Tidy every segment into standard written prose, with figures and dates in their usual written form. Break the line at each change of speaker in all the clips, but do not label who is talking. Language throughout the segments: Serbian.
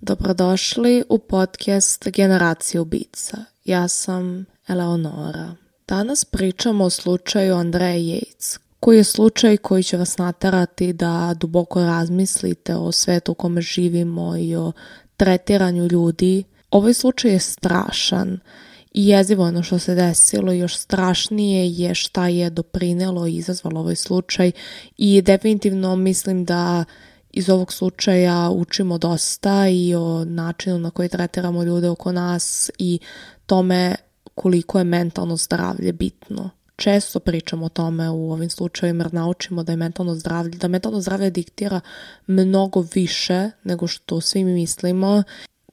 Dobrodošli u podcast Generacija ubica. Ja sam Eleonora. Danas pričamo o slučaju Andreje Yates, koji je slučaj koji će vas naterati da duboko razmislite o svetu u kome živimo i o tretiranju ljudi. Ovaj slučaj je strašan i jezivo ono što se desilo, još strašnije je šta je doprinelo i izazvalo ovaj slučaj i definitivno mislim da iz ovog slučaja učimo dosta i o načinu na koji tretiramo ljude oko nas i tome koliko je mentalno zdravlje bitno. Često pričamo o tome u ovim slučajima jer naučimo da mentalno zdravlje diktira mnogo više nego što svi mi mislimo.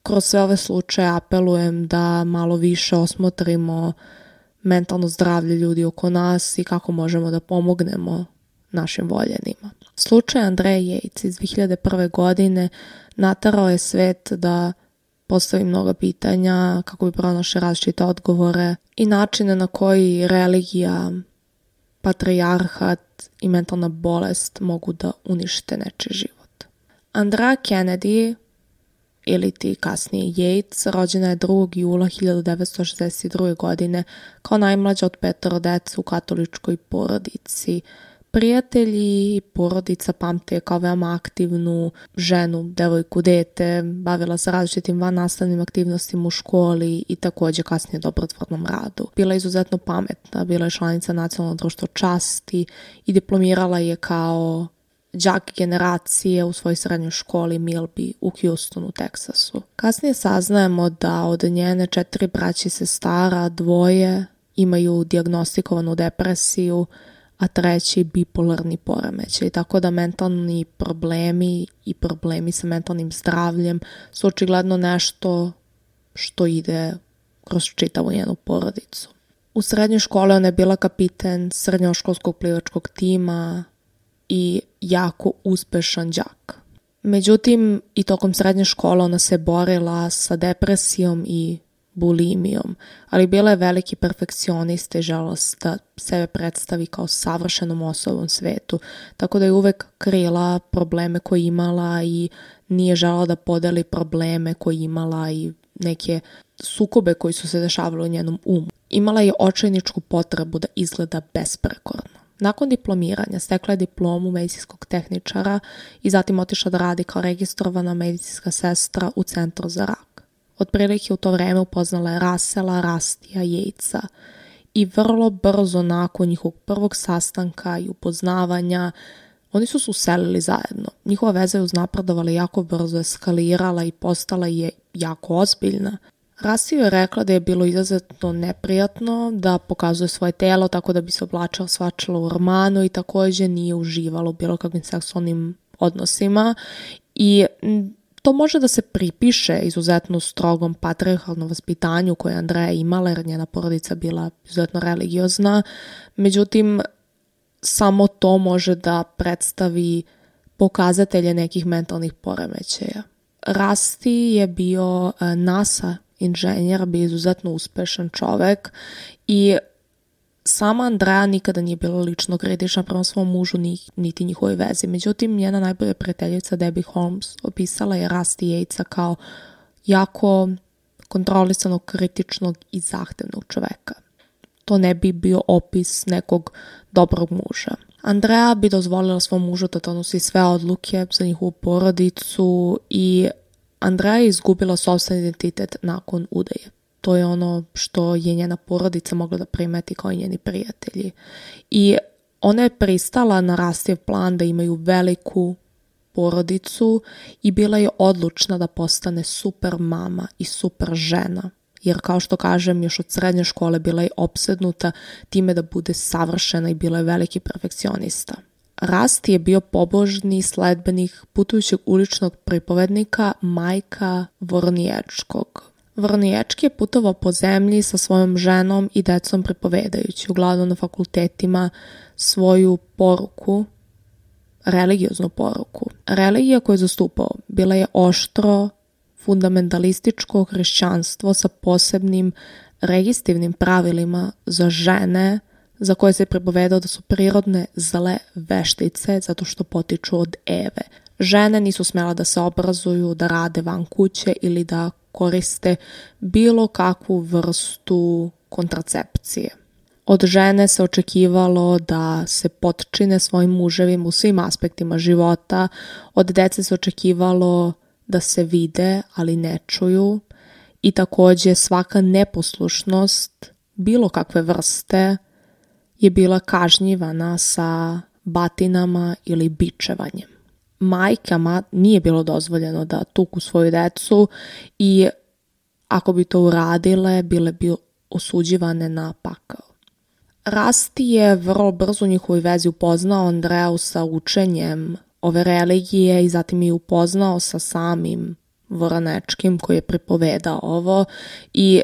Kroz sve ove slučaje apelujem da malo više osmotrimo mentalno zdravlje ljudi oko nas i kako možemo da pomognemo našim voljenima. Slučaj Andreje Yates iz 2001. godine naterao je svet da postavi mnoga pitanja kako bi pronašli različite odgovore i načine na koji religija, patrijarhat i mentalna bolest mogu da unište nečiji život. Andrea Kennedy, ili ti kasnije Yates, rođena je 2. jula 1962. godine kao najmlađa od 5 dece u katoličkoj porodici. Prijatelji i porodica pamte kao veoma aktivnu ženu, devojku, dete, bavila se različitim vannastavnim aktivnostima u školi i također kasnije dobrotvornom radu. Bila je izuzetno pametna, bila je članica Nacionalnog društva časti i diplomirala je kao đak generacije u svojoj srednjoj školi Milby u Houstonu, Teksasu. Kasnije saznajemo da od njene 4 braće i sestara 2 imaju dijagnostikovanu depresiju, a 3 bipolarni poremećaj. Tako da mentalni problemi i problemi sa mentalnim zdravljem su očigledno nešto što ide kroz čitavu njenu porodicu. U srednjoj školi ona je bila kapiten srednjoškolskog plivačkog tima i jako uspešan đak. Međutim, i tokom srednje škole ona se borila sa depresijom i bulimijom, ali bila je veliki perfekcionista i želela da sebe predstavi kao savršenom osobom svetu, tako da je uvek krila probleme koje imala i nije želela da podeli probleme koje imala i neke sukobe koji su se dešavali u njenom umu. Imala je očajničku potrebu da izgleda besprekorno. Nakon diplomiranja stekla je diplomu medicinskog tehničara i zatim otišla da radi kao registrovana medicinska sestra u centru za rak. Otprilike u to vreme upoznala je Russella Rustija Yatesa i vrlo brzo nakon njihovog prvog sastanka i upoznavanja oni su se uselili zajedno. Njihova veza je uznapredovala jako brzo, eskalirala i postala je jako ozbiljna. Rusti je rekla da je bilo izuzetno neprijatno da pokazuje svoje telo tako da bi se oblačila svačila u ormanu i također nije uživala u bilo kakvim seksualnim odnosima i to može da se pripiše izuzetno strogom patrijarhalnom vaspitanju koje je Andreja imala jer njena porodica bila izuzetno religiozna. Međutim, samo to može da predstavi pokazatelje nekih mentalnih poremećaja. Rusti je bio NASA inženjer, bio izuzetno uspešan čovek i sama Andreja nikada nije bila lično kritična prema svom mužu niti njihovoj vezi. Međutim, njena najbolja prijateljica Debbie Holmes opisala je Rusti Yatesa kao jako kontrolisanog, kritičnog i zahtevnog čoveka. To ne bi bio opis nekog dobrog muža. Andreja bi dozvolila svom mužu da donosi sve odluke za njihovu porodicu i Andreja je izgubila sopstveni identitet nakon udaje. To je ono što je njena porodica mogla da primeti kao i njeni prijatelji. I ona je pristala na Rustijev plan da imaju veliku porodicu i bila je odlučna da postane super mama i super žena. Jer kao što kažem, još od srednje škole bila je opsednuta time da bude savršena i bila je veliki perfekcionista. Rusti je bio pobožni sledbenik putujućeg uličnog pripovednika Majka Vorniječkog. Vorniječki je putovao po zemlji sa svojom ženom i decom pripovedajući, uglavnom na fakultetima, svoju poruku, religioznu poruku. Religija koju je zastupao bila je oštro, fundamentalističko hrišćanstvo sa posebnim registivnim pravilima za žene za koje se pripovedao da su prirodne zle veštice zato što potiču od Eve. Žene nisu smjela da se obrazuju, da rade van kuće ili da koriste bilo kakvu vrstu kontracepcije. Od žene se očekivalo da se potčine svojim muževima u svim aspektima života. Od dece se očekivalo da se vide, ali ne čuju. I također svaka neposlušnost bilo kakve vrste je bila kažnjivana sa batinama ili bičevanjem. Majkama nije bilo dozvoljeno da tuku svoju decu i ako bi to uradile, bile bi osuđivane na pakao. Rasti je vrlo brzo u njihovoj vezi upoznao Andreju sa učenjem ove religije i zatim je upoznao sa samim Voronečkim koji je pripovedao ovo i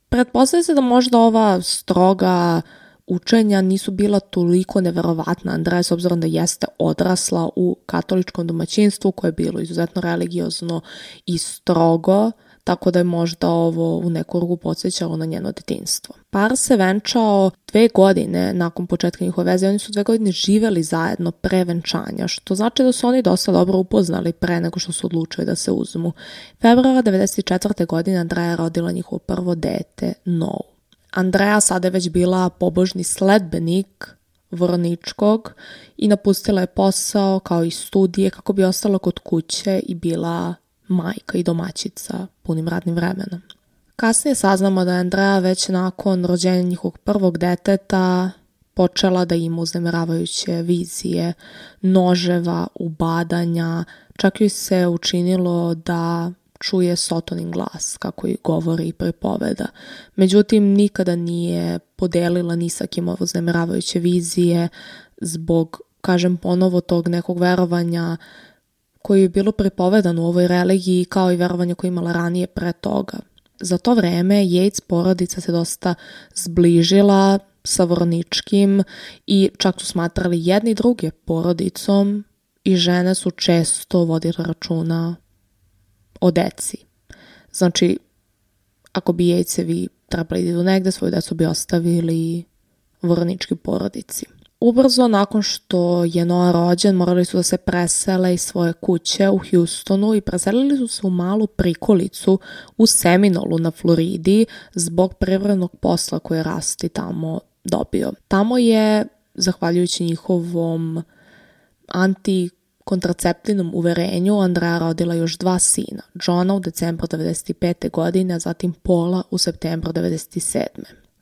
pretpostavlja se da možda ova stroga učenja nisu bila toliko neverovatna Andreja s obzirom da jeste odrasla u katoličkom domaćinstvu koje je bilo izuzetno religiozno i strogo, tako da je možda ovo u neku ruku podsjećalo na njeno detinjstvo. Par se venčao 2 godine nakon početka njihove veze, oni su 2 godine živjeli zajedno pre venčanja, što znači da su oni dosta dobro upoznali pre nego što su odlučili da se uzmu. Februara 1994. godine Andreja je rodila njihovo prvo dete, Nou. Andreja sada je već bila pobožni sledbenik Voroničkog i napustila je posao kao i studije kako bi ostala kod kuće i bila majka i domaćica punim radnim vremenom. Kasnije saznamo da je Andreja već nakon rođenja njihovog prvog deteta počela da ima uznemiravajuće vizije, noževa, ubadanja, čak joj se učinilo da čuje Sotonin glas, kako i govori i pripoveda. Međutim, nikada nije podelila ni sa kim ove uznemiravajuće vizije zbog, kažem ponovo, tog nekog verovanja koje je bilo pripovedano u ovoj religiji kao i verovanje koje je imala ranije pre toga. Za to vreme Yates porodica se dosta zbližila sa Voroničkim i čak su smatrali jedni druge porodicom i žene su često vodile računa o deci. Znači, ako bi Yatesevi trebali da idu negde, svoju decu bi ostavili Voronički porodici. Ubrzo nakon što je Noah rođen, morali su da se presele iz svoje kuće u Houstonu i preselili su se u malu prikolicu u Seminolu na Floridi zbog privrednog posla koje je Rusty tamo dobio. Tamo je, zahvaljujući njihovom antikontraceptivnom uverenju, Andreja rodila još 2 sina, Johna u decembru 1995. godine, a zatim Paula u septembru 1997.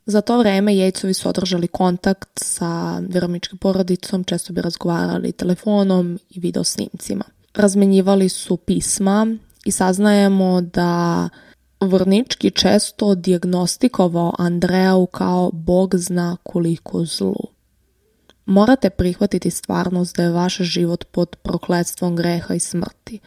Za to vreme Yatesovi su održali kontakt sa Voroničkom porodicom, često bi razgovarali telefonom i video snimcima. Razmenjivali su pisma i saznajemo da Voronički često dijagnostikovao Andreju kao Bog zna koliko zlu. Morate prihvatiti stvarnost da je vaš život pod prokletstvom greha i smrti.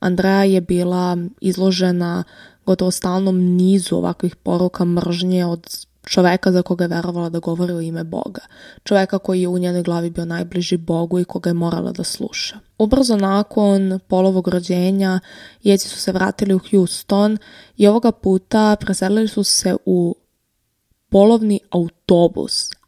Andreja je bila izložena gotovo stalnom nizu ovakvih poruka mržnje od čoveka za koga je verovala da govori u ime Boga. Čoveka koji je u njenoj glavi bio najbliži Bogu i koga je morala da sluša. Ubrzo nakon Paulovog rođenja, Yatesi su se vratili u Houston i ovoga puta preselili su se u polovni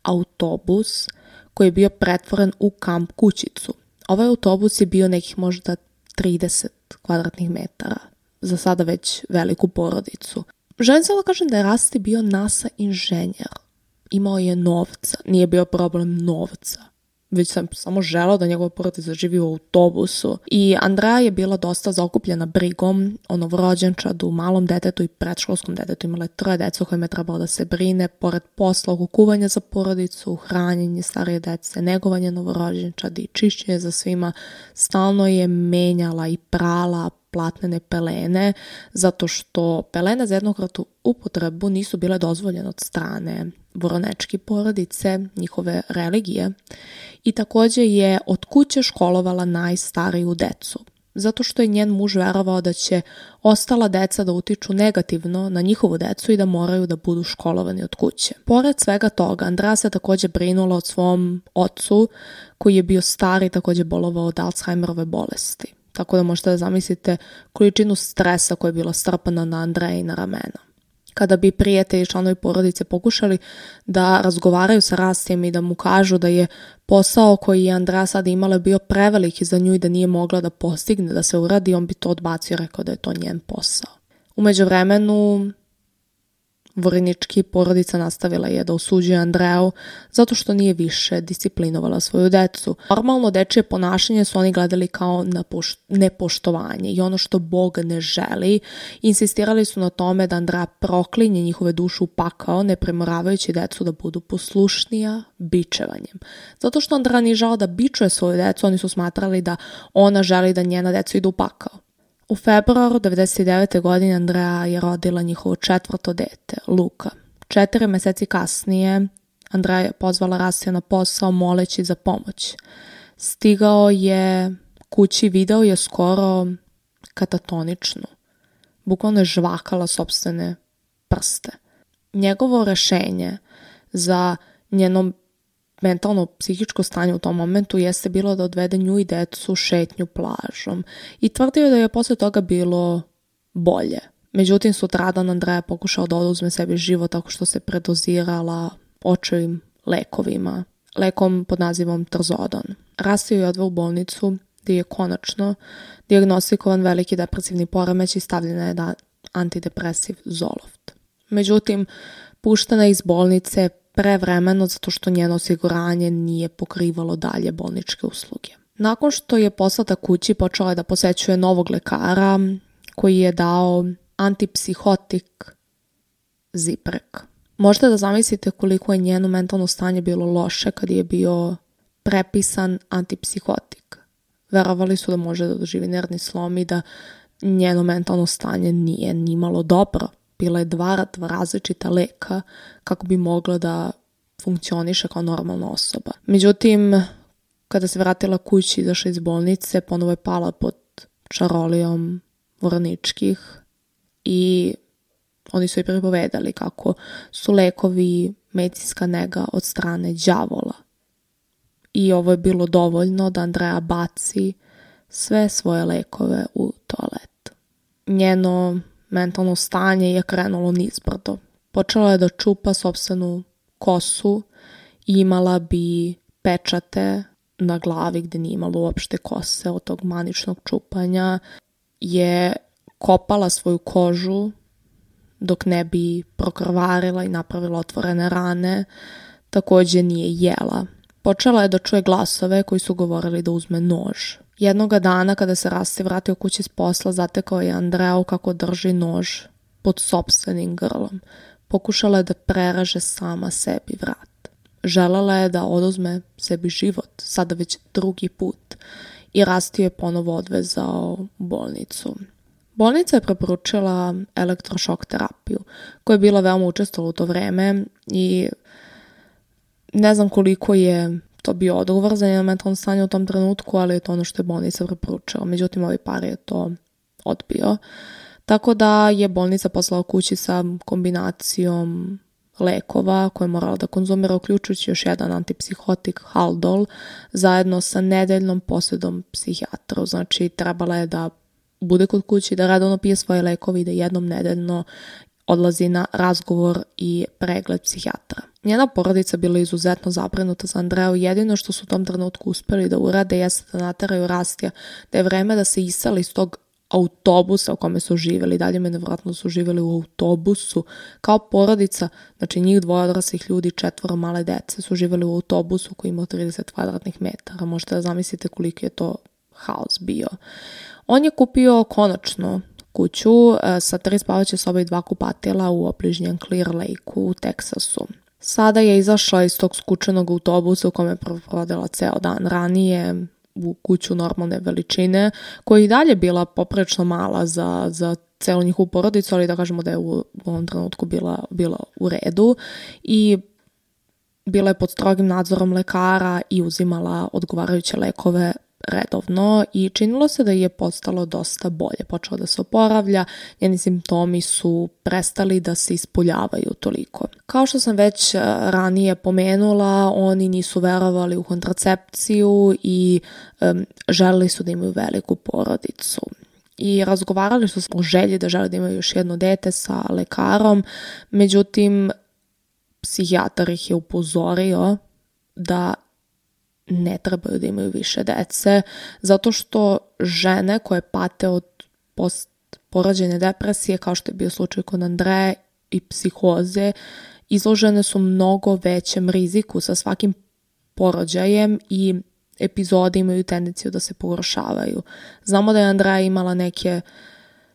autobus koji je bio pretvoren u kamp kućicu. Ovaj autobus je bio nekih možda 30 kvadratnih metara, za sada već veliku porodicu. Želim samo da kažem da je Rusty bio NASA inženjer. Imao je novca, nije bio problem novca. Već sam samo želao da njegova porodica živi u autobusu. I Andreja je bila dosta zaokupljena brigom o novorođenčadu, malom detetu i predškolskom detetu. Imala je 3 dece o kojima je trebalo da se brine, pored posla, oko kuvanja za porodicu, hranjenje starije dece, negovanje novorođenčadi i čišćenje za svima. Stalno je menjala i prala platnene pelene, zato što pelene za jednokratnu upotrebu nisu bile dozvoljene od strane Voronečke porodice, njihove religije, i također je od kuće školovala najstariju decu, zato što je njen muž verovao da će ostala deca da utiču negativno na njihovu decu i da moraju da budu školovani od kuće. Pored svega toga, Andreja se također brinula o svom ocu, koji je bio star i također bolovao od Alzheimerove bolesti. Tako da možete da zamislite količinu stresa koja je bila strpana na Andreja i na ramena. kada bi prijatelji i članovi porodice pokušali da razgovaraju sa Rastijem i da mu kažu da je posao koji je Andrea sada imala bio preveliki za nju i da nije mogla da postigne da se uradi, on bi to odbacio i rekao da je to njen posao. U međuvremenu, Vorinički porodica nastavila je da osuđuje Andreju zato što nije više disciplinovala svoju decu. Normalno dečije ponašanje su oni gledali kao nepoštovanje i ono što Bog ne želi. Insistirali su na tome da Andreja proklinje njihove duše u pakao, ne primoravajući decu da budu poslušnija bičevanjem. Zato što Andreja nije žela da bičuje svoju decu, oni su smatrali da ona želi da njena deca idu u pakao. U februaru 1999. godine Andrea je rodila njihovo 4. dete, Luka. 4 meseci kasnije Andrea je pozvala Rastija na posao moleći za pomoć. Stigao je kući, video je skoro katatoničnu. Bukvalno je žvakala sopstvene prste. Njegovo rešenje za njeno mentalno psihičko stanje u tom momentu jeste bilo da odvede nju i decu šetnju plažom i tvrdio da je posle toga bilo bolje. Međutim, sutradan Andrea pokušao da oduzme sebi život tako što se predozirala očevim lekovima, lekom pod nazivom Trazodon. Rastio je odveo u bolnicu gdje je konačno dijagnostikovan veliki depresivni poremećaj i stavljena je antidepresiv Zoloft. Međutim, puštena je iz bolnice prevremeno zato što njeno osiguranje nije pokrivalo dalje bolničke usluge. Nakon što je poslata kući, počela je da posećuje novog lekara koji je dao antipsihotik Ziprek. Možete da zamislite koliko je njeno mentalno stanje bilo loše kad je bio prepisan antipsihotik. Verovali su da može da doživi nervni slom i da njeno mentalno stanje nije nimalo dobro. Bila je 2 različita leka kako bi mogla da funkcioniše kao normalna osoba. Međutim, kada se vratila kući i izašla iz bolnice, ponovo je pala pod čarolijom Voriničkih i oni su joj pripovedali kako su lekovi medicinska nega od strane đavola. I ovo je bilo dovoljno da Andrea baci sve svoje lekove u toalet. Njeno mentalno stanje je krenulo nizbrdo. Počela je da čupa sopstvenu kosu i imala bi pečate na glavi gdje nije imala uopšte kose od tog maničnog čupanja. Je kopala svoju kožu dok ne bi prokrvarila i napravila otvorene rane. Također nije jela. Počela je da čuje glasove koji su govorili da uzme nož. Jednoga dana kada se Rasti vratio kući s posla, zatekao je Andreju kako drži nož pod sopstvenim grlom. Pokušala je da preraže sama sebi vrat. Želela je da oduzme sebi život, sada već 2. put, i Rasti je ponovo odvezao u bolnicu. Bolnica je preporučila elektrošok terapiju, koja je bila veoma učestvovala u to vreme i ne znam koliko je to bio odgovor za njeno mentalno stanje u tom trenutku, ali je to ono što je bolnica preporučila. Međutim, ovaj par je to odbio. Tako da je bolnica poslala kući sa kombinacijom lekova koje je morala da konzumira, uključujući još jedan antipsihotik Haldol, zajedno sa nedeljnom posjedom psihijatru. Znači, trebala je da bude kod kući, da redovno pije svoje lekove i da jednom nedeljno odlazi na razgovor i pregled psihijatra. Njena porodica bila izuzetno zabrinuta za Andreju. Jedino što su u tom trenutku uspjeli da urade jeste da nateraju Rastija da je vreme da se iseli iz tog autobusa u kome su živjeli. Dalje me nevjerojatno su živjeli u autobusu kao porodica, znači njih 2 odraslih ljudi, 4 male dece su živjeli u autobusu koji ima 30 kvadratnih metara. Možete da zamislite koliko je to haos bio. On je kupio konačno kuću sa 3 spavaće sobe i 2 kupatila u obližnjem Clear Lake-u u Teksasu. Sada je izašla iz tog skučenog autobusa u kome je provodila ceo dan ranije u kuću normalne veličine, koja i dalje bila poprilično mala za celu njihovu porodicu, ali da kažemo da je u ovom trenutku bila u redu i bila je pod strogim nadzorom lekara i uzimala odgovarajuće lekove redovno i činilo se da je postalo dosta bolje. Počela da se oporavlja, njeni simptomi su prestali da se ispoljavaju toliko. Kao što sam već ranije pomenula, oni nisu verovali u kontracepciju i želeli su da imaju veliku porodicu. i razgovarali su o želji da žele da imaju još jedno dete sa lekarom, međutim psihijatar ih je upozorio da ne trebaju da imaju više dece, zato što žene koje pate od postporođajne depresije, kao što je bio slučaj kod Andreje, i psihoze, izložene su mnogo većem riziku sa svakim porođajem i epizode imaju tendenciju da se pogoršavaju. Znamo da je Andreja imala neke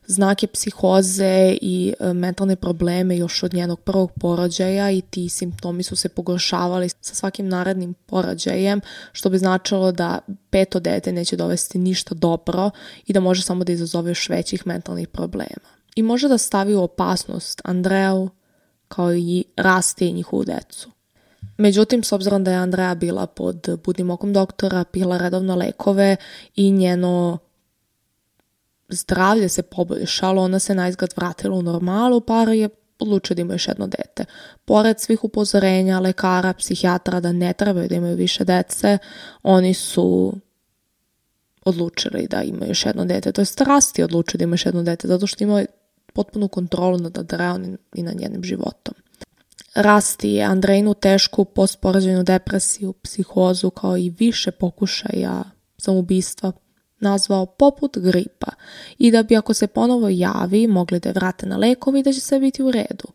znake psihoze i mentalne probleme još od njenog prvog porođaja i ti simptomi su se pogoršavali sa svakim narednim porođajem, što bi značilo da 5. dete neće dovesti ništa dobro i da može samo da izazove još većih mentalnih problema. I može da stavi u opasnost Andreju kao i Rasti i njihovu decu. Međutim, s obzirom da je Andreja bila pod budnim okom doktora, pila redovno lekove i njeno zdravlje se poboljšalo, ona se naizgled vratila u normalu, par je odlučio da ima još jedno dete. Pored svih upozorenja lekara, psihijatra da ne trebaju da imaju više dece, oni su odlučili da imaju još jedno dete. To je Rasti odlučio da ima još jedno dete, zato što imao potpunu kontrolu nad Andrejom i nad njenim životom. Rasti je Andrejinu tešku postporođajnu depresiju, psihozu kao i više pokušaja samoubistva nazvao poput gripa i da bi ako se ponovo javi mogli da je vrate na lekovi i da će sve biti u redu.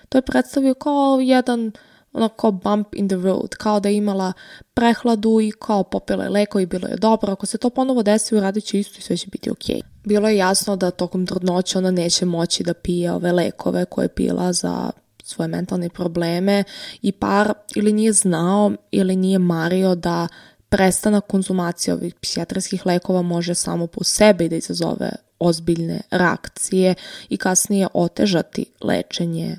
To je predstavio kao jedan onako bump in the road, kao da je imala prehladu i kao popila je leko i bilo je dobro. Ako se to ponovo desi, uradit će isto i sve će biti okej. Bilo je jasno da tokom trudnoće ona neće moći da pije ove lekove koje je pila za svoje mentalne probleme i par ili nije znao ili nije mario da prestanak konzumacije ovih psihijatrijskih lekova može samo po sebi da izazove ozbiljne reakcije i kasnije otežati lečenje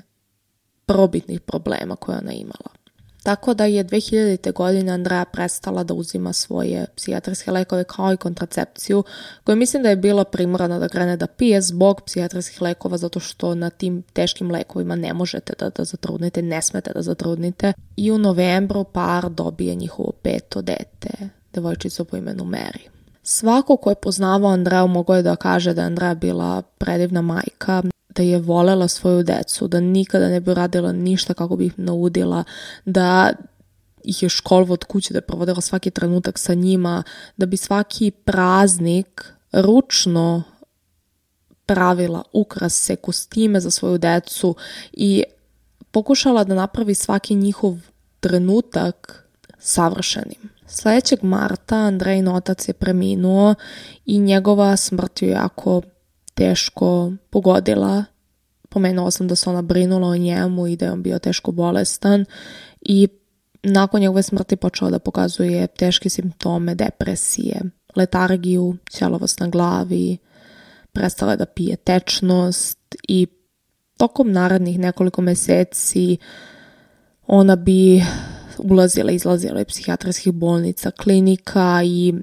prvobitnih problema koje ona imala. Tako da je 2000. godine Andreja prestala da uzima svoje psihijatrijske lekove kao i kontracepciju, koju mislim da je bila primorana da krene da pije zbog psihijatrijskih lekova, zato što na tim teškim lekovima ne možete da zatrudnite, ne smete da zatrudnite. I u novembru par dobije njihovo 5. dete, devojčicu po imenu Mary. Svako ko je poznavao Andreju mogao je da kaže da je Andreja bila predivna majka, da je volela svoju decu, da nikada ne bi radila ništa kako bi ih naudila, da ih je školovala od kuće, da je provodila svaki trenutak sa njima, da bi svaki praznik ručno pravila ukrase, kostime za svoju decu i pokušala da napravi svaki njihov trenutak savršenim. Sljedećeg marta Andrejin otac je preminuo i njegova smrt je jako teško pogodila. Pomenula sam da se ona brinula o njemu i da je on bio teško bolestan i nakon njegove smrti počela da pokazuje teške simptome depresije, letargiju, ćelavost na glavi, prestala da pije tečnost i tokom narednih nekoliko meseci ona bi ulazila i izlazila iz psihijatrijskih bolnica, klinika i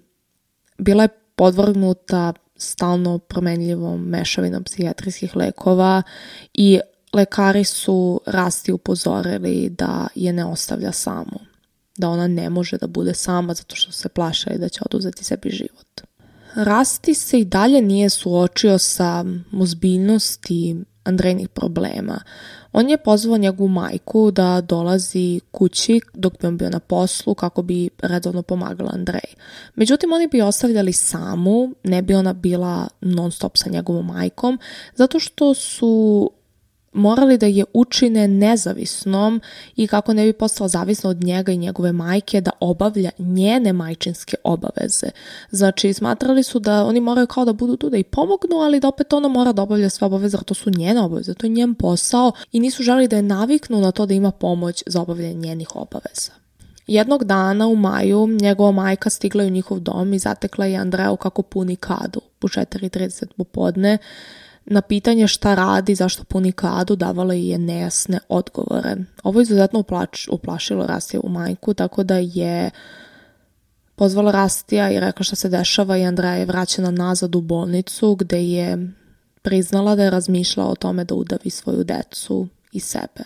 bila je podvrgnuta stalno promenljivom mešavinom psihijatrijskih lekova i lekari su Rasti upozorili da je ne ostavlja samu, da ona ne može da bude sama zato što se plašali da će oduzeti sebi život. Rasti se i dalje nije suočio sa ozbiljnosti Andrejinih problema. On je pozvao njegovu majku da dolazi kući dok bi on bio na poslu kako bi redovno pomagala Andreji. Međutim, oni bi ostavljali samu, ne bi ona bila non stop sa njegovom majkom, zato što su morali da je učine nezavisnom i kako ne bi postala zavisna od njega i njegove majke da obavlja njene majčinske obaveze. Znači, smatrali su da oni moraju kao da budu tu da i pomognu, ali da opet ona mora da obavlja sve obaveze, jer to su njene obaveze, to je njen posao i nisu želeli da je naviknu na to da ima pomoć za obavljanje njenih obaveza. Jednog dana u maju njegova majka stigla je u njihov dom i zatekla je Andreju kako puni kadu u 4:30 popodne. Na pitanje šta radi, zašto puni kadu, davala je nejasne odgovore. Ovo je izuzetno uplašilo Rastijevu majku, tako da je pozvala Rastija i rekla šta se dešava i Andreja je vraćena nazad u bolnicu gde je priznala da je razmišljala o tome da udavi svoju decu i sebe.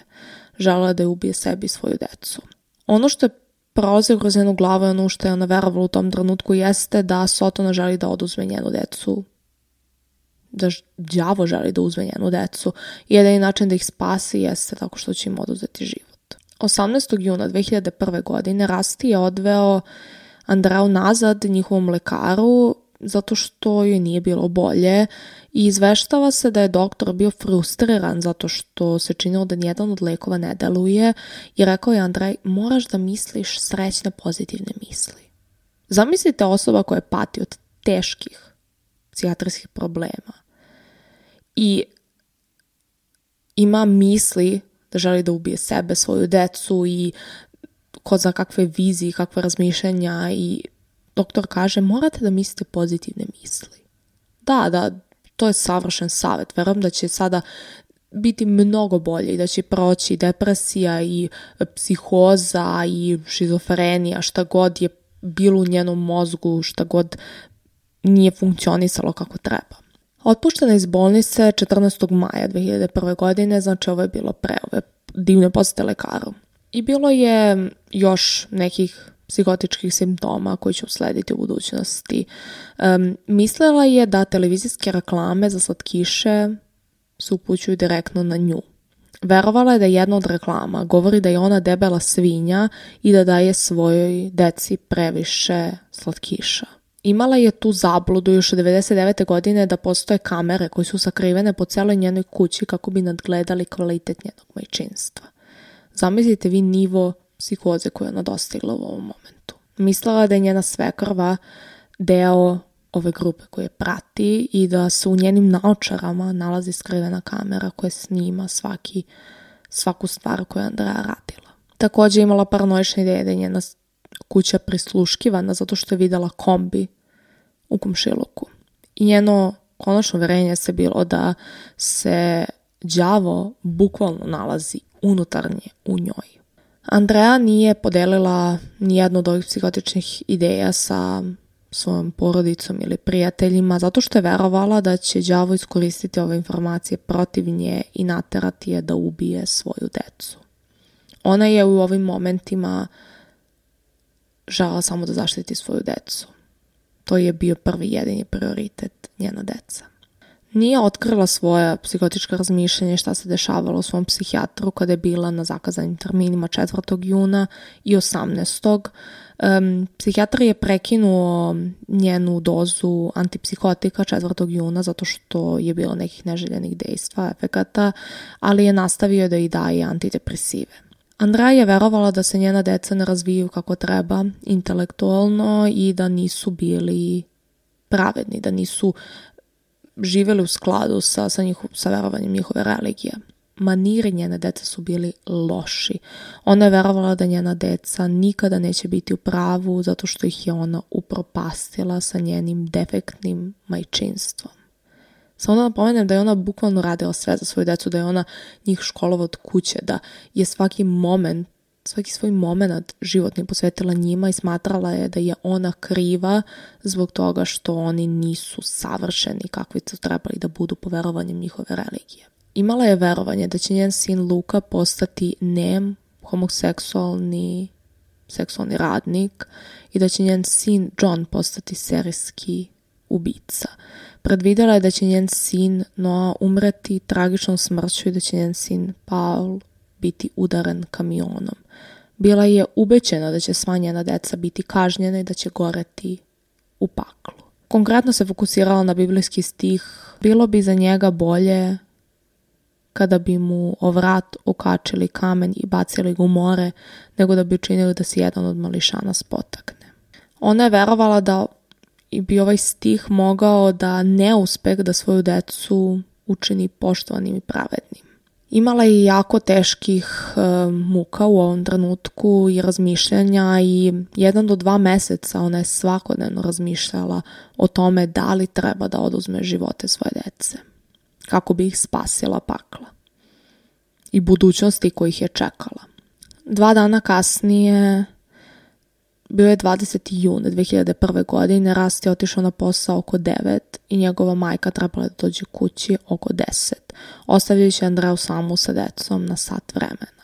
Želela da je ubije sebi i svoju decu. Ono što je prolazilo kroz njenu glavu i ono što je ona verovala u tom trenutku jeste da Sotona želi da oduzme njenu decu da đavo želi da uzme njenu decu i jedini način da ih spasi jeste tako što će im oduzeti život. 18. juna 2001. godine Rusty je odveo Andreu nazad njihovom lekaru zato što joj nije bilo bolje i izveštava se da je doktor bio frustriran zato što se činilo da nijedan od lekova ne deluje i rekao je Andrej, moraš da misliš srećne pozitivne misli. Zamislite osoba koja pati od teških psihijatrijskih problema i ima misli da želi da ubije sebe, svoju decu i ko zna kakve vizije, kakve razmišljanja i doktor kaže morate da mislite pozitivne misli. Da, to je savršen savjet. Verujem da će sada biti mnogo bolje i da će proći depresija i psihoza i šizofrenija, šta god je bilo u njenom mozgu, šta god nije funkcionisalo kako treba. Otpuštena iz bolnice 14. maja 2001. godine, znači ovo je bilo pre ove divne posete lekaru. I bilo je još nekih psihotičkih simptoma koji će uslediti u budućnosti. Mislila je da televizijske reklame za slatkiše se upućuju direktno na nju. Verovala je da jedna od reklama govori da je ona debela svinja i da daje svojoj deci previše slatkiša. Imala je tu zabludu još od 1999. godine da postoje kamere koje su sakrivene po celoj njenoj kući kako bi nadgledali kvalitet njenog majčinstva. Zamislite vi nivo psihoze koju je ona dostigla u ovom momentu. Mislila da je njena svekrva deo ove grupe koje prati i da se u njenim naočarama nalazi skrivena kamera koja snima svaku stvar koju je Andrea radila. Također imala paranoične ideje da je njena kuća prisluškivana zato što je videla kombi u komšiluku. I njeno konačno uverenje se bilo da se đavo bukvalno nalazi unutarnje u njoj. Andrea nije podelila nijednu od ovih psihotičnih ideja sa svojom porodicom ili prijateljima zato što je verovala da će đavo iskoristiti ove informacije protiv nje i naterati je da ubije svoju decu. Ona je u ovim momentima žela samo da zaštiti svoju decu. To je bio prvi jedini prioritet, njena deca. Nije otkrila svoje psihotička razmišljanja šta se dešavalo u svom psihijatru kada je bila na zakazanim terminima 4. juna i 18. Psihijatar je prekinuo njenu dozu antipsihotika 4. juna zato što je bilo nekih neželjenih dejstva, efekata, ali je nastavio da i daje antidepresive. Andrea je verovala da se njena deca ne razvijaju kako treba intelektualno i da nisu bili pravedni, da nisu živjeli u skladu sa verovanjem njihove religije. Maniri njene dece su bili loši. Ona je verovala da njena deca nikada neće biti u pravu zato što ih je ona upropastila sa njenim defektnim majčinstvom. Samo da napomenem da je ona bukvalno radila sve za svoju decu, da je ona njih školova od kuće, da je svaki svoj moment životni posvetila njima i smatrala je da je ona kriva zbog toga što oni nisu savršeni kakvi su trebali da budu po verovanjem njihove religije. Imala je verovanje da će njen sin Luka postati nem, homoseksualni seksualni radnik i da će njen sin John postati serijski ubica. Predvidela je da će njen sin Noah umreti tragičnom smrću i da će njen sin Paul biti udaren kamionom. Bila je ubeđena da će sva njena deca biti kažnjena i da će goreti u paklu. Konkretno se fokusirala na biblijski stih: bilo bi za njega bolje kada bi mu o vrat okačili kamen i bacili ga u more, nego da bi učinili da se jedan od mališana spotakne. Ona je verovala da bi ovaj stih mogao da neuspeh da svoju decu učini poštovanim i pravednim. Imala je jako teških muka u ovom trenutku i razmišljanja i 1 do 2 meseca ona je svakodnevno razmišljala o tome da li treba da oduzme živote svoje dece, kako bi ih spasila pakla i budućnosti kojih je čekala. 2 dana kasnije, bio je 20. jun 2001. godine, Rusty je otišao na posao oko 9 i njegova majka trebala da dođe kući oko 10, ostavljajući Andreu samu sa decom na sat vremena.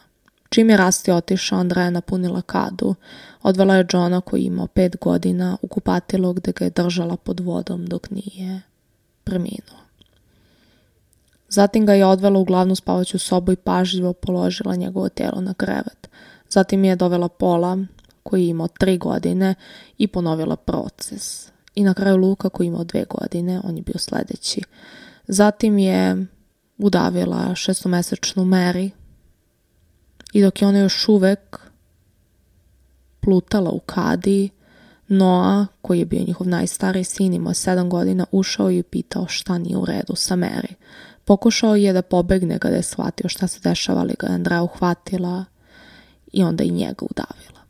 Čim je Rusty otišao, Andrea je napunila kadu, odvela je Johna koji je imao 5 godina u kupatilo gde ga je držala pod vodom dok nije preminuo. Zatim ga je odvela u glavnu spavaću sobu i pažljivo položila njegovo telo na krevet. Zatim je dovela Paula, koji je imao 3 godine, i ponovila proces. I na kraju Luka, koji je imao 2 godine, on je bio sljedeći. Zatim je udavila 6-mesečnu Mary i dok je ona još uvek plutala u kadi, Noah, koji je bio njihov najstariji sin, imao 7 godina, ušao i pitao šta nije u redu sa Mary. Pokušao je da pobegne kada je shvatio šta se dešava, ali ga je Andrea uhvatila i onda i njega udavila.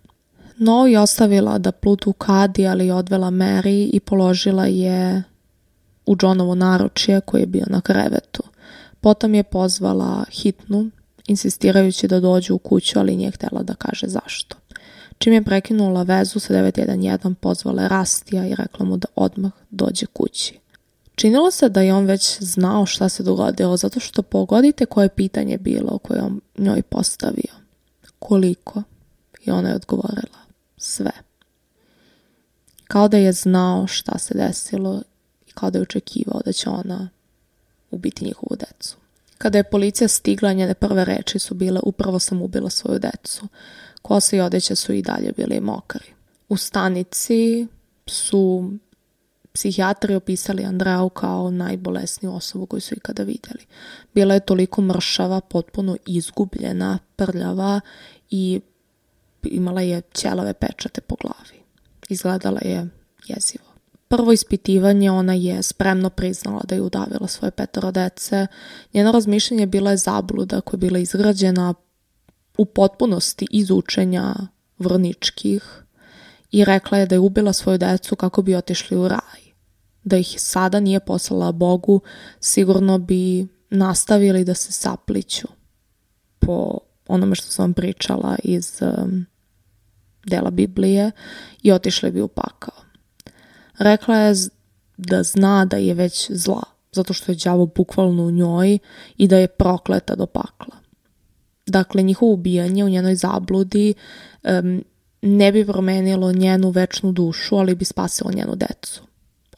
Noah je ostavila da pluta u kadi, ali je odvela Mary i položila je u Johnovo naručje koji je bio na krevetu. Potom je pozvala hitnu, insistirajući da dođe u kuću, ali nije htjela da kaže zašto. Čim je prekinula vezu sa 911, pozvala je Rastija i rekla mu da odmah dođe kući. Činilo se da je on već znao šta se dogodilo, zato što pogodite koje pitanje bilo koje on njoj postavio. Koliko? I ona je odgovorila sve. Kao da je znao šta se desilo i kao da je očekivao da će ona ubiti njihovu decu. Kada je policija stigla, njene prve reči su bile: upravo sam ubila svoju decu. Kosa i odeća su i dalje bili mokri. U stanici su psihijatri opisali Andreau kao najbolesniju osobu koju su ikada vidjeli. Bila je toliko mršava, potpuno izgubljena, prljava i imala je ćelave pečate po glavi. Izgledala je jezivo. Prvo ispitivanje, ona je spremno priznala da je udavila svoje 5 dece. Njeno razmišljanje bila je zabluda koja je bila izgrađena u potpunosti iz učenja vrničkih i rekla je da je ubila svoju decu kako bi otišli u raj. Da ih sada nije poslala Bogu, sigurno bi nastavili da se sapliću po onome što sam vam pričala iz dela Biblije i otišli bi u pakao. Rekla je da zna da je već zla, zato što je đavo bukvalno u njoj i da je prokleta do pakla. Dakle, njihovo ubijanje u njenoj zabludi ne bi promenilo njenu večnu dušu, ali bi spasilo njenu decu.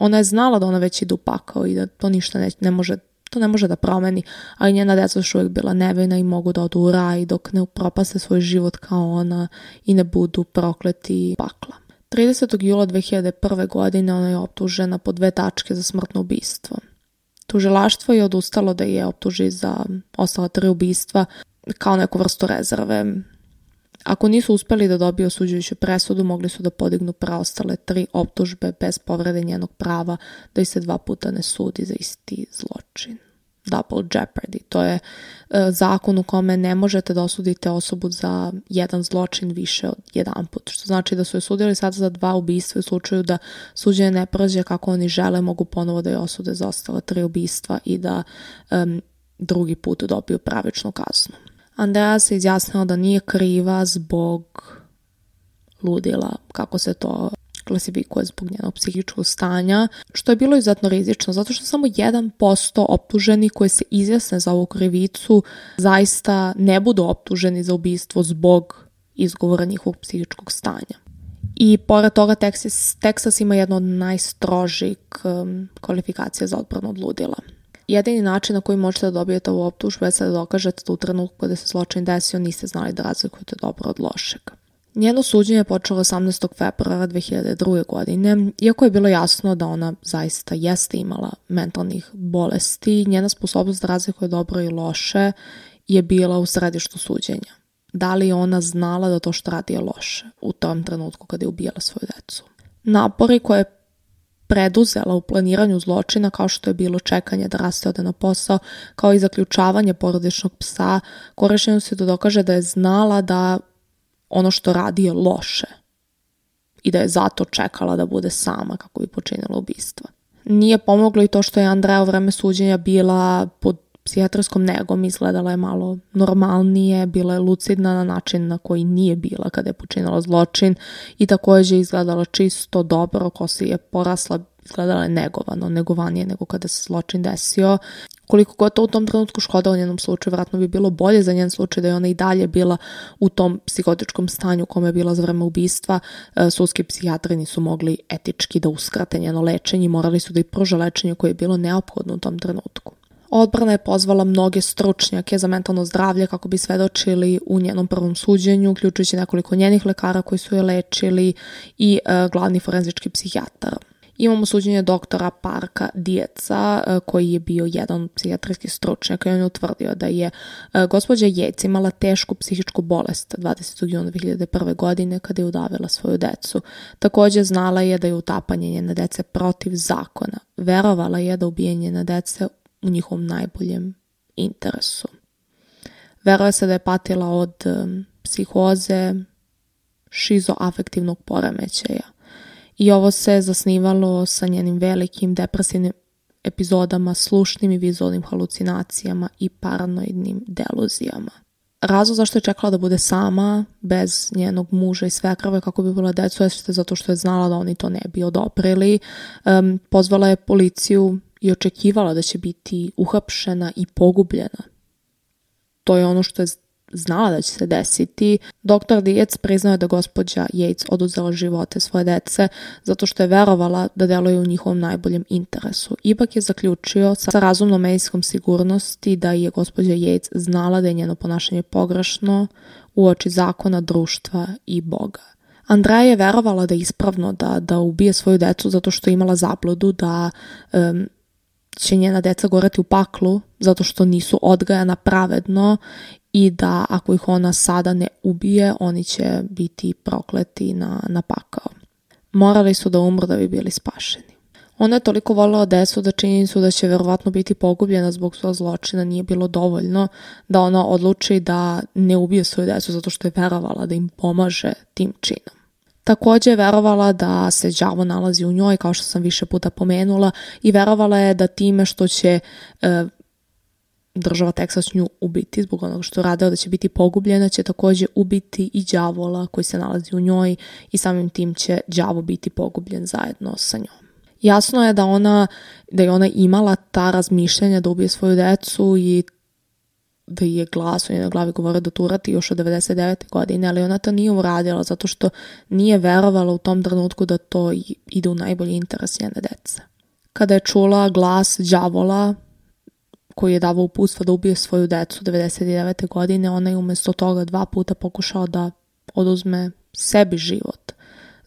Ona je znala da ona već ide u pakao i da to ništa ne može da promeni, ali njena deca su uvijek bila nevina i mogu da odu u raj dok ne upropaste svoj život kao ona i ne budu prokleti pakla. 30. jula 2001. godine ona je optužena po 2 tačke za smrtno ubistvo. Tužilaštvo je odustalo da je optuži za ostala 3 ubistva kao neku vrstu rezerve. Ako nisu uspeli da dobiju osuđujuću presudu, mogli su da podignu preostale 3 optužbe bez povrede njenog prava da ih se 2 puta ne sudi za isti zločin. Double jeopardy. To je zakon u kome ne možete da osudite osobu za jedan zločin više od jedan put. Što znači da su je sudili sad za 2 ubistva u slučaju da suđenje ne prođe kako oni žele, mogu ponovo da je osude za ostala 3 ubistva i da drugi put dobiju pravičnu kaznu. Andrea se izjasnila da nije kriva zbog ludila, kako se to klasifikuje, zbog njenog psihičkog stanja, što je bilo izuzetno rizično, zato što samo 1% optuženih koji se izjasne za ovu krivicu zaista ne budu optuženi za ubistvo zbog izgovora njihovog psihičkog stanja. I pored toga Texas ima jednu od najstrožih kvalifikacija za odbranu od ludila. Jedini način na koji možete da dobijete ovu optužbu je da dokažete da u trenutku kada se zločin desio niste znali da razlikujete dobro od lošeg. Njeno suđenje je počelo 18. februara 2002. godine, iako je bilo jasno da ona zaista jeste imala mentalnih bolesti, njena sposobnost da razlikuje dobro i loše je bila u središtu suđenja. Da li je ona znala da to što radi je loše u tom trenutku kada je ubijala svoju decu? Napori koje je preduzela u planiranju zločina, kao što je bilo čekanje da Raste ode na posao, kao i zaključavanje porodičnog psa, korišćeno se da dokaže da je znala da ono što radi je loše i da je zato čekala da bude sama kako bi počinila ubistva. Nije pomoglo i to što je Andrea u vreme suđenja bila pod psihijatrijskom negom, izgledala je malo normalnije, bila je lucidna na način na koji nije bila kada je počinila zločin i također izgledala čisto dobro, kosa je porasla, izgledala je negovanije nego kada se zločin desio. Koliko god to u tom trenutku škoda u njenom slučaju, vjerojatno bi bilo bolje za njen slučaj da je ona i dalje bila u tom psihotičkom stanju u kome je bila za vreme ubistva. Sudski psihijatri nisu mogli etički da uskrate njeno lečenje, morali su da i pruže lečenje koje je bilo neophodno u tom trenutku. Odbrana je pozvala mnoge stručnjake za mentalno zdravlje kako bi svedočili u njenom prvom suđenju, uključujući nekoliko njenih lekara koji su je lečili i glavni forenzički psihijatar. Imamo suđenje doktora Parka Dieca, koji je bio jedan od psihijatrijskih stručnjaka i on je utvrdio da je gospođa Yates imala tešku psihičku bolest 20. juna 2001. godine kada je udavila svoju decu. Također znala je da je utapanje njene dece protiv zakona. Verovala je da ubijanje njene dece u njihovom najboljem interesu. Veruje se da je patila od psihoze, šizoafektivnog poremećaja. I ovo se zasnivalo sa njenim velikim depresivnim epizodama, slušnim i vizualnim halucinacijama i paranoidnim deluzijama. Razlog zašto je čekala da bude sama, bez njenog muža i svekrve kako bi bila decu, je zato što je znala da oni to ne bi odobrili. Pozvala je policiju i očekivala da će biti uhapšena i pogubljena. To je ono što je znala da će se desiti. Dr. Dietz priznao je da gospođa Yates oduzela živote svoje dece zato što je verovala da deluje u njihovom najboljem interesu. Ipak je zaključio sa razumnom medijskom sigurnosti da je gospođa Yates znala da je njeno ponašanje pogrešno uoči zakona, društva i Boga. Andrea je verovala da je ispravno da ubije svoju decu zato što je imala zabludu da će njena deca goreti u paklu zato što nisu odgajana pravedno i da ako ih ona sada ne ubije, oni će biti prokleti na pakao. Morali su da umru da bi bili spašeni. Ona je toliko voljela decu da činjenicu da će verovatno biti pogubljena zbog svog zločina nije bilo dovoljno da ona odluči da ne ubije svoju decu zato što je verovala da im pomaže tim činom. Također je verovala da se đavo nalazi u njoj, kao što sam više puta pomenula, i verovala je da time što će država Teksas nju ubiti zbog onoga što radila, da će biti pogubljena, će također ubiti i đavola koji se nalazi u njoj i samim tim će đavo biti pogubljen zajedno sa njom. Jasno je da je ona imala ta razmišljanja da ubije svoju decu i da je glas u njenoj glavi govorio da to uradi još od 99. godine, ali ona to nije uradila zato što nije verovala u tom trenutku da to ide u najbolji interes njene dece. Kada je čula glas đavola koji je davao uputstva da ubije svoju decu 99. godine, ona je umjesto toga 2 puta pokušala da oduzme sebi život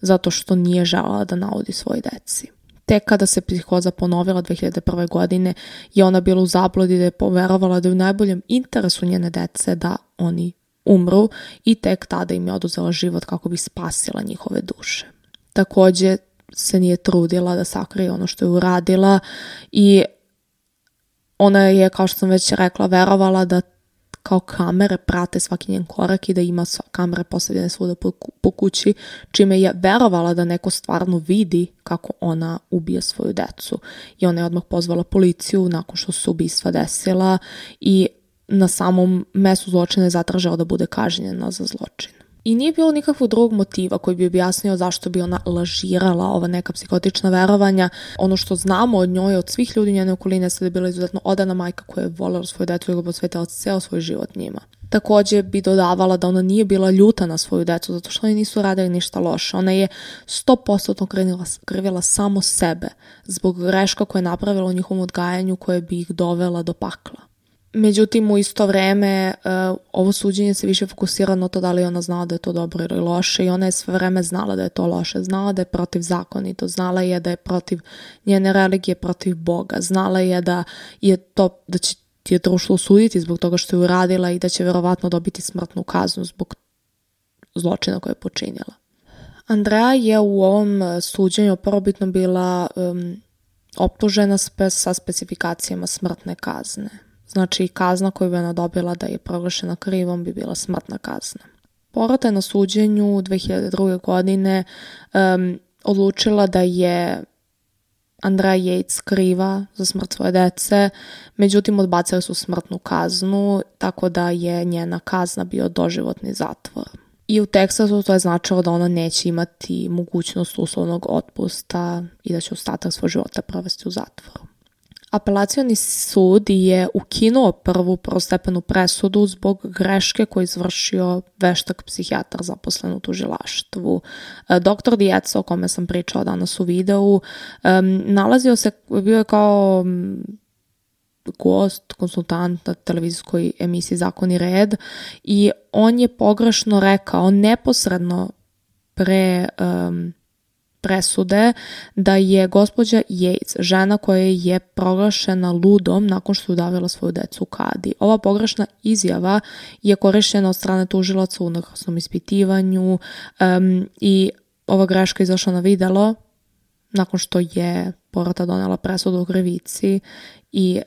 zato što nije želela da naudi svoj deci. Tek kada se psihoza ponovila 2001. godine je ona bila u zabludi da je poverovala da je u najboljem interesu njene dece da oni umru i tek tada im je oduzela život kako bi spasila njihove duše. Također se nije trudila da sakrije ono što je uradila i ona je, kao što sam već rekla, verovala da kao kamere prate svaki njen korak i da ima kamere postavljene svuda po kući, čime je verovala da neko stvarno vidi kako ona ubije svoju decu. I ona je odmah pozvala policiju nakon što su ubistva desila i na samom mestu zločina je zatražila da bude kažnjena za zločin. I nije bilo nikakvog drugog motiva koji bi objasnio zašto bi ona lažirala ova neka psihotična verovanja. Ono što znamo od njoj, od svih ljudi njene okoline, je da je bila izuzetno odana majka koja je voljela svoju decu i ga posvetila ceo svoj život njima. Također bi dodavala da ona nije bila ljuta na svoju decu zato što oni nisu radili ništa loše. Ona je 100% krivila samo sebe zbog greška koje je napravila u njihovom odgajanju koje bi ih dovela do pakla. Međutim, u isto vreme ovo suđenje se više fokusira na to da li ona znala da je to dobro ili loše i ona je sve vreme znala da je to loše. Znala da je protivzakonito, znala je da je protiv njene religije, protiv Boga. Znala je da će je društvo osuditi zbog toga što je uradila i da će verovatno dobiti smrtnu kaznu zbog zločina koje je počinila. Andrea je u ovom suđenju prvobitno bila optužena sa specifikacijama smrtne kazne. Znači, kazna koju bi ona dobila da je proglašena krivom bi bila smrtna kazna. Porota je na suđenju 2002. godine odlučila da je Andrea Yates kriva za smrt svoje dece, međutim odbacili su smrtnu kaznu, tako da je njena kazna bio doživotni zatvor. I u Teksasu to je značilo da ona neće imati mogućnost uslovnog otpusta i da će ostatak svog života provesti u zatvoru. Apelacioni sud je ukinuo prvu prvostepenu presudu zbog greške koju je izvršio veštak psihijatar zaposlen u tužilaštvu. Dr. Dietz, o kome sam pričala danas u videu, nalazio se, bio je kao gost, konsultant na televizijskoj emisiji Zakon i red i on je pogrešno rekao neposredno pre presude da je gospođa Yates žena koja je proglašena ludom nakon što je udavila svoju decu u kadi. Ova pogrešna izjava je korišćena od strane tužilaca u unakrsnom ispitivanju i ova greška izašla na videlo nakon što je porota donela presudu o krivici i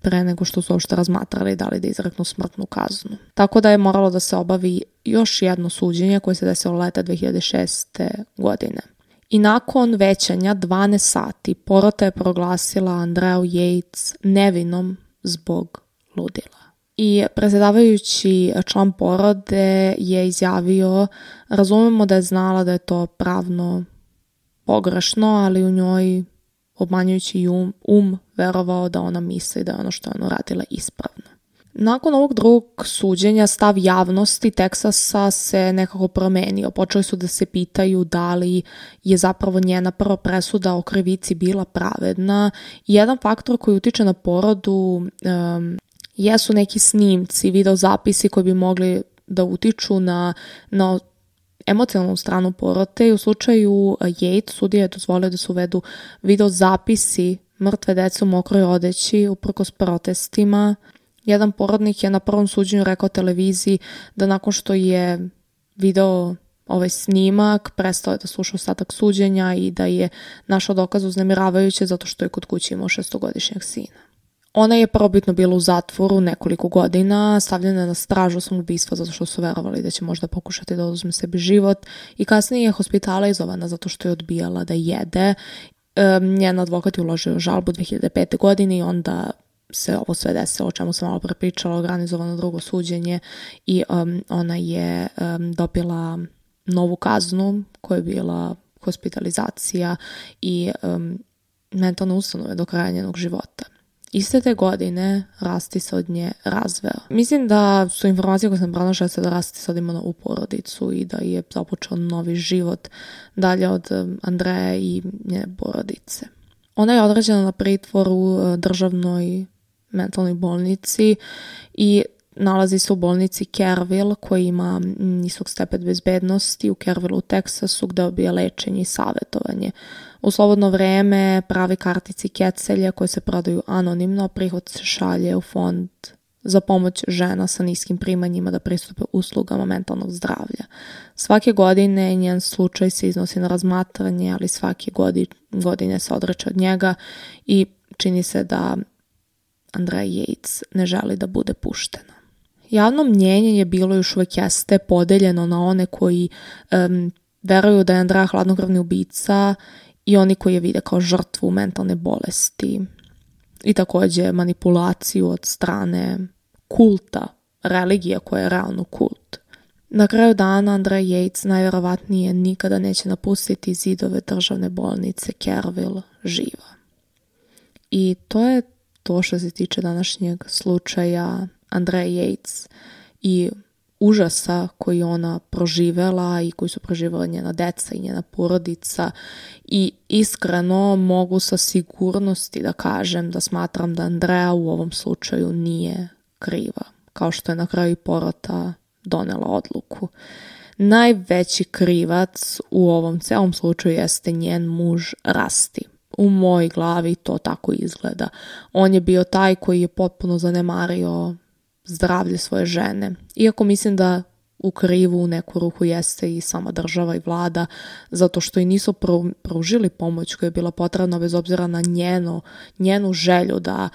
pre nego što su uopšte razmatrali da li da izreknu smrtnu kaznu. Tako da je moralo da se obavi još jedno suđenje koje se desilo leta 2006. godine. I nakon većanja 12 sati porota je proglasila Andreju Yates nevinom zbog ludila. I predsjedavajući član porode je izjavio: razumemo da je znala da je to pravno pogrešno, ali u njoj obmanjujući verovao da ona misli da je ono što je ona radila ispravno. Nakon ovog drugog suđenja stav javnosti Teksasa se nekako promenio. Počeli su da se pitaju da li je zapravo njena prva presuda o krivici bila pravedna. Jedan faktor koji utiče na porodu jesu neki snimci, videozapisi koji bi mogli da utiču na emocionalnu stranu porote i u slučaju Yates sudija je dozvolio da se uvedu videozapisi mrtve dece u mokroj odeći uprkos protestima. Jedan porodnik je na prvom suđenju rekao televiziji da nakon što je video ovaj snimak prestao je da sluša ostatak suđenja i da je našao dokaz uznemiravajuće zato što je kod kuće imao 6-godišnjeg sina. Ona je prvobitno bila u zatvoru nekoliko godina, stavljena na stražu samoubistva zato što su verovali da će možda pokušati da oduzme sebi život i kasnije je hospitalizovana zato što je odbijala da jede. Njen advokat je uložio žalbu 2005. godine i onda se ovo sve desilo, o čemu sam malo prepričala, organizovano drugo suđenje i ona je dobila novu kaznu koja je bila hospitalizacija i mentalne ustanove do kraja njenog života. Iste te godine Rusty se od nje razveo. Mislim da su informacije koje sam pronašla da Rusty sad ima novu porodicu i da je započeo novi život dalje od Andreje i njene porodice. Ona je određena na pritvor u državnoj mentalnoj bolnici i nalazi se u bolnici Kerrville koji ima nisok stepen bezbednosti u Kerrville u Teksasu gde dobija lečenje i savjetovanje. U slobodno vreme pravi kartici kecelje koje se prodaju anonimno, prihod se šalje u fond za pomoć žena sa niskim primanjima da pristupe uslugama mentalnog zdravlja. Svake godine njen slučaj se iznosi na razmatranje, ali svake godine se odreče od njega i čini se da Andrea Yates ne želi da bude puštena. Javno mnjenje je bilo još uvijek jeste podeljeno na one koji veruju da je Andrea hladnokrvni ubica i oni koji je vide kao žrtvu mentalne bolesti i također manipulaciju od strane kulta, religija koja je realno kult. Na kraju dana Andrea Yates najvjerovatnije nikada neće napustiti zidove državne bolnice Kerrville živa. I to je to što se tiče današnjeg slučaja Andrea Yates i užasa koji ona proživela i koji su proživjela njena deca i njena porodica i iskreno mogu sa sigurnosti da kažem da smatram da Andrea u ovom slučaju nije kriva, kao što je na kraju i porota donela odluku. Najveći krivac u ovom celom slučaju jeste njen muž Rusty. U mojoj glavi to tako izgleda. On je bio taj koji je potpuno zanemario zdravlje svoje žene. Iako mislim da u krivu u neku ruku jeste i sama država i vlada, zato što i nisu pružili pomoć koja je bila potrebna bez obzira na njenu želju da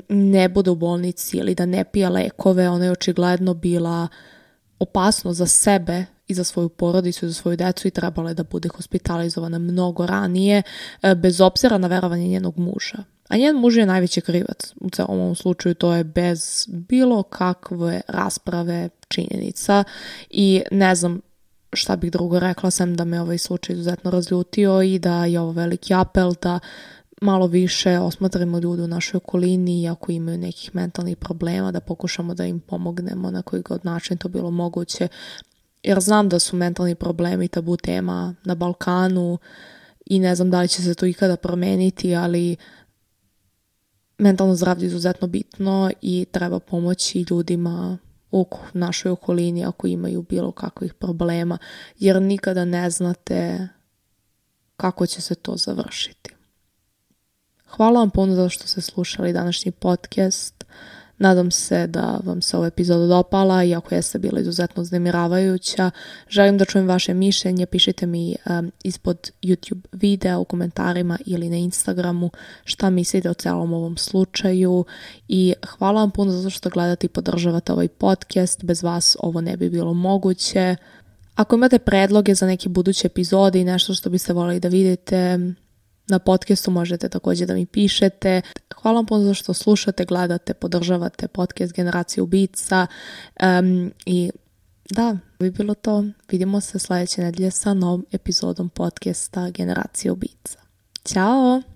ne bude u bolnici ili da ne pije lekove. Ona je očigledno bila opasno za sebe i za svoju porodicu i za svoju decu i trebala je da bude hospitalizovana mnogo ranije, bez obzira na verovanje njenog muža. A njen muž je najveći krivac u celom ovom slučaju, to je bez bilo kakve rasprave činjenica i ne znam šta bih drugo rekla sem da me ovaj slučaj izuzetno razljutio i da je ovo veliki apel da malo više osmatramo ljude u našoj okolini i ako imaju nekih mentalnih problema da pokušamo da im pomognemo na koji god način to bilo moguće. Jer znam da su mentalni problemi tabu tema na Balkanu i ne znam da li će se to ikada promeniti, ali mentalno zdravlje izuzetno bitno i treba pomoći ljudima u našoj okolini ako imaju bilo kakvih problema, jer nikada ne znate kako će se to završiti. Hvala vam puno za što ste slušali današnji podcast. Nadam se da vam se ova epizoda dopala, iako jeste bila izuzetno uznemiravajuća. Želim da čujem vaše mišljenje, pišite mi ispod YouTube videa u komentarima ili na Instagramu šta mislite o celom ovom slučaju i hvala vam puno zato što gledate i podržavate ovaj podcast. Bez vas ovo ne bi bilo moguće. Ako imate predloge za neke buduće epizode i nešto što biste voljeli da vidite na podcastu, možete također da mi pišete. Hvala vam puno za što slušate, gledate, podržavate podcast Generacija ubica. I da, bi bilo to. Vidimo se sljedeće nedelje sa novom epizodom podcasta Generacija ubica. Ćao!